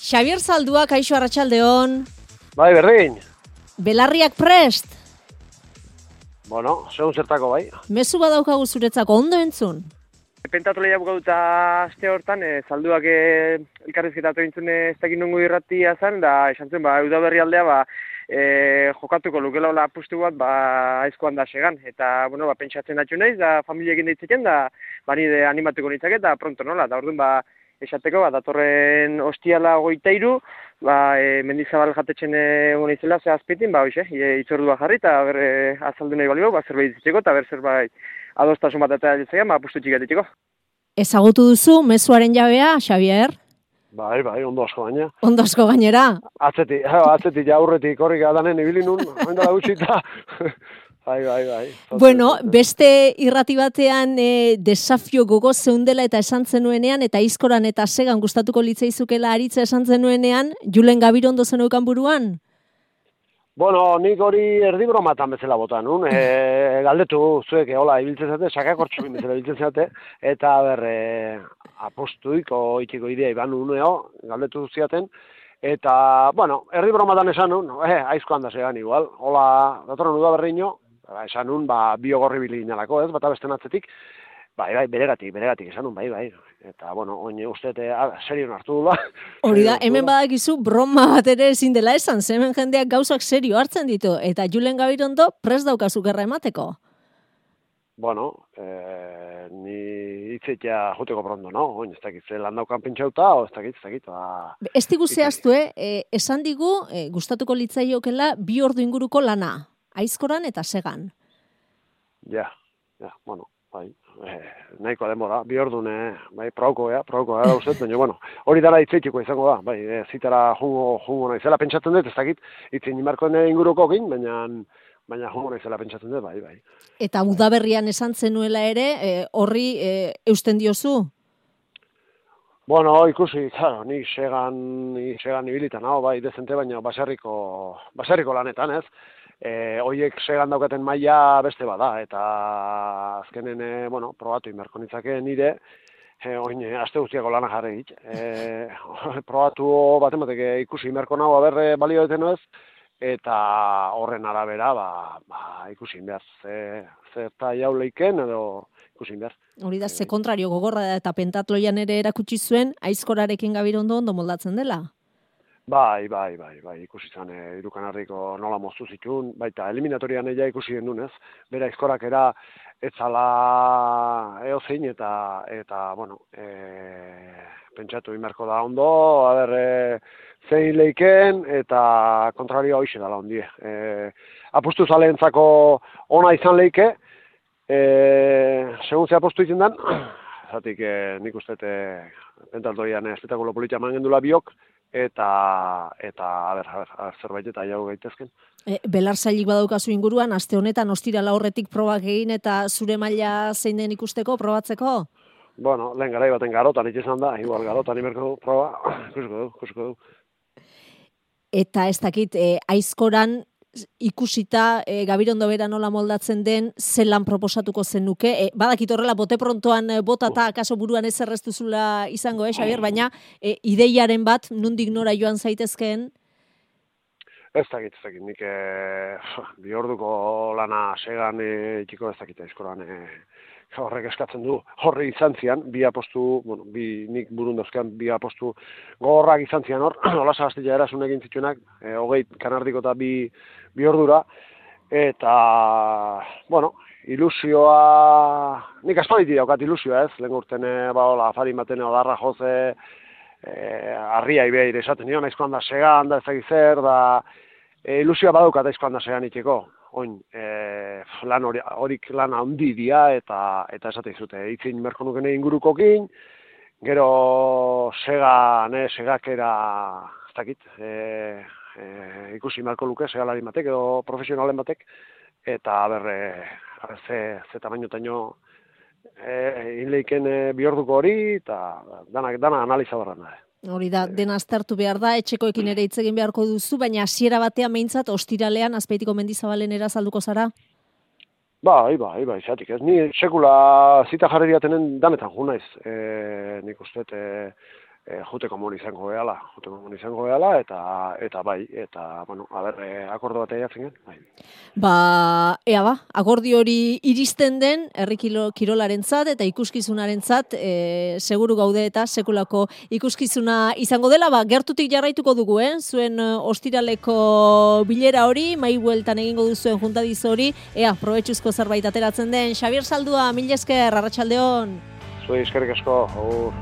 Xabier Zaldua, kaixo arratsaldeon. Bai, berdin. Belarriak prest? Bueno, segun zertako bai. Mezu badaukagu zuretzako, ondo entzun? Pentatu lehiak gauta aste hortan, Zalduak elkarrizketatu entzun ez dakit nongo irratia zen, da esan zuen, Udaberri aldea, jokatuko lukela hola apustu bat, aizkoan da segan. Eta, pentsatzen datxu naiz, da familiekin ditzeken, da nire animatuko nintzake, eta pronto nola. Da orduan, esateko, datorren ostiala 23, Mendizabal jatetzen egon izela, ze azpitin, itzordua jarri, eta azaldu nahi balio, zerbait ditzeko, eta zerbait adostasun bat eta ditzean, apustu txikatetiko. Ezagutu duzu, mezuaren jabea, Xabier? Bai, ondo asko gaina. Ondo asko gainera? Atzetik aurretik horrik adanen ibili nun, oindala gutxita. Bai. Bueno, beste irrati batean desafio gogoz zeundela eta esan zenuenean, eta Aizkoran eta Segan gustatuko litzaizukela aritza esan zenuenean, Julen Gabirondo zeneukan buruan? Bueno, nik hori erdi bromatan bezala bota nun, galdetu zuek, hola, ibiltzen zate, sakakortxo bezala ibiltzen zate, eta apostuiko itxiko idea iban nuneo, galdetu ziaten, eta, erdi bromatan esan nun, aizkoan da Segan igual, hola, datorren Udaberriño, esan nun, biogorri bilinalako, ez, bata besten atzetik, beregatik, esan nun, bai. Eta, oin uste, serio hartu dula. Hori da, hemen badakizu broma bat ere ezin dela esan, hemen jendeak gauzak serio hartzen ditu, eta Julen Gabirondo prest daukazu gerra emateko. Ni hitzetia juteko pronto, no? Oin, ez dakit, lan daukan pentsauta, o ez dakit. Ez digu zehaztu, esan digu, gustatuko litzaiokela 2 ordu inguruko lana, Aizkoran eta Segan. Ja, bai. Nahiko denbora, 2 ordun, prauko gara uste, baina, hori dara hitzeitiko izango da, zitara jungo naizela pentsatzen dut, ez dakit, hitzen imarkoen inguruko egin, baina jungo naizela pentsatzen dut, bai. Eta Udaberrian esan zenuela ere, horri eusten diozu? Ikusi, claro, ni segan ibilitan, dezente, baina baserriko lanetan, ez? Hoiek Segan daukaten maila beste bada, eta azkenen, probatu inberko nitzake nire, aste guztiako lana jarri hit. Probatu bat ematek ikusi inberko nago balio deten ez, eta horren arabera, ikusi inbehar, zerta jauleiken edo ikusi inbehar. Hori da, ze kontrario gogorra da, eta pentatloian ere erakutsi zuen, Aizkorarekin Gabirondo ondo moldatzen dela. Bai, ikusi zen, Irukanarriko nola moztu zituen, baita eliminatorian eia ikusi den dunez, bera Aizkorak etzala eozein eta pentsatu inberko da ondo, zein leiken eta kontrario hoxe dala ondie. Apustu zaleentzako ona izan leike, segun ze apustu izan den, zatik nik uste pentaltoian espetakulo politia mangendula biok, eta zerbait eta jau gaitezken. Belar zailik badaukazu inguruan, aste honetan ostirala horretik probak egin eta zure maila zein den ikusteko, probatzeko? Lehen garai baten garotan izan da, igual garotan imerko proba, ikusiko du. Eta ez dakit, Aizkoran ikusita Gabirondo bera nola moldatzen den, zelan proposatuko zenuke. Badakit horrela, bote prontoan bota eta akaso buruan ez erreztuzula izango, Xabier, baina ideiaren bat, nondik nora joan zaitezkeen? Ez dakit, nik 2 orduko lana Segan itxiko ez dakit Aizkoran horrek eskatzen du, horre izan zian, nik burun dauzkean 2 apostu gogorrak izan zian hor, hola sagaztila erasun egin zituenak, 20 kanardiko eta 2 ordura, eta, ilusioa, nik aspaliti daukat ilusioa ez, lehen urten, afari baten odarra joze, harria ibeir esaten nion, Aizkoan da Segan, da ezagik zer, da, ilusioa badaukat Aizkoan da Segan itxeko. Oin, horik lan handi dia eta esate izute, itzin merko nukene ingurukokin, gero segakera, ez dakit, ikusi merko luke, segalari batek edo profesionalen batek, eta ze tamainotaino inleiken 2 orduko hori, eta dana analiza barran da. Hori da, dena aztertu behar da, etxekoekin ere hitz egin beharko duzu, baina hasiera batean behintzat ostiralean Azpeitiko Mendizabalen erazalduko zara? Bai, zatik ez. Ni sekula zita jarri diatenen danetan ju naiz. Nik uste, juteko mon izango gehala, eta bai, eta, bueno, akordo bat eiatzen gen, bai. Akordio hori iristen den, herri kirolarentzat eta ikuskizunarentzat, seguru gaude eta sekulako ikuskizuna izango dela, gertutik jarraituko dugu, zuen ostiraleko bilera hori, mai bueltan egingo duzuen juntadiz hori, probetxuzko zerbait ateratzen den. Xabier Saldua, mil esker, arratsaldeon. Zuei eskerrik asko,